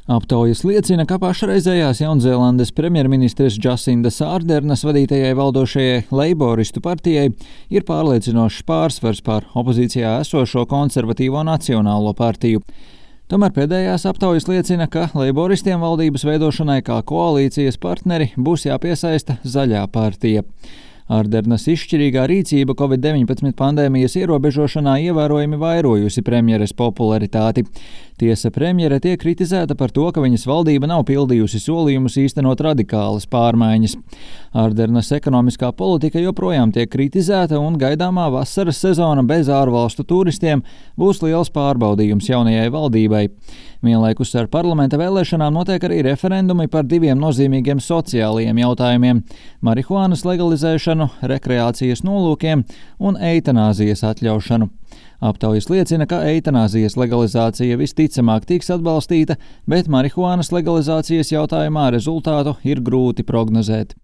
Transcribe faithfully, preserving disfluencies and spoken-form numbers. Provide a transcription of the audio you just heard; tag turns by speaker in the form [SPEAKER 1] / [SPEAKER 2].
[SPEAKER 1] Aptaujas liecina, ka pašreizējās Jaunzēlandes premjerministres Džasindas Ārdernas vadītajai valdošajai Leiboristu partijai ir pārliecinošs pārsvars pār opozīcijā esošo konservatīvo Nacionālo partiju. Tomēr pēdējās aptaujas liecina, ka leiboristiem valdības veidošanai kā koalīcijas partneri būs jāpiesaista Zaļā partija. Ārdernas izšķirīgā rīcība covid deviņpadsmit pandēmijas ierobežošanā ievērojami vairojusi premjeres popularitāti. Tiesa, premjere tiek kritizēta par to, ka viņas valdība nav pildījusi solījumus īstenot radikālas pārmaiņas. Ārdernas ekonomiskā politika joprojām tiek kritizēta un gaidāmā vasaras sezona bez ārvalstu turistiem būs liels pārbaudījums jaunajai valdībai. Vienlaikus ar parlamenta vēlēšanām notiek arī referendumi par diviem nozīmīgiem sociālajiem jautājumiem – marihuānas legalizēšanu, rekreācijas nolūkiem un eitanāzijas atļaušanu. Aptaujas liecina, ka eitanāzijas legalizācija visticamāk tiks atbalstīta, bet marihuānas legalizācijas jautājumā rezultātu ir grūti prognozēt.